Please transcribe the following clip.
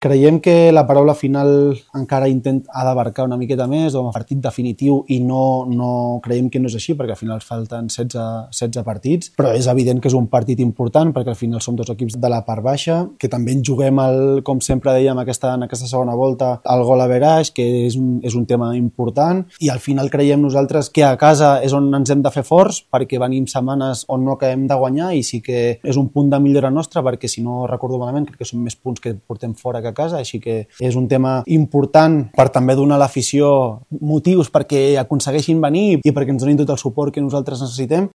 Creiem que la paraula final encara ha d'abarcar una miqueta més, o un partit definitiu, i no creiem que no és així, perquè al final falten 16 partits, però és evident que és un partit important, perquè al final som dos equips de la part baixa, que també en juguem, com sempre dèiem, en aquesta segona volta, el gol average, que és un tema important, i al final creiem nosaltres que a casa és on ens hem de fer forts, perquè venim setmanes on no acabem de guanyar, i sí que és un punt de millora nostra, perquè si no recordo malament, crec que són més punts que portem fora que a casa, així que és un tema important per també donar a l'afició motius perquè aconsegueixin venir i perquè ens donin tot el suport que nosaltres necessitem,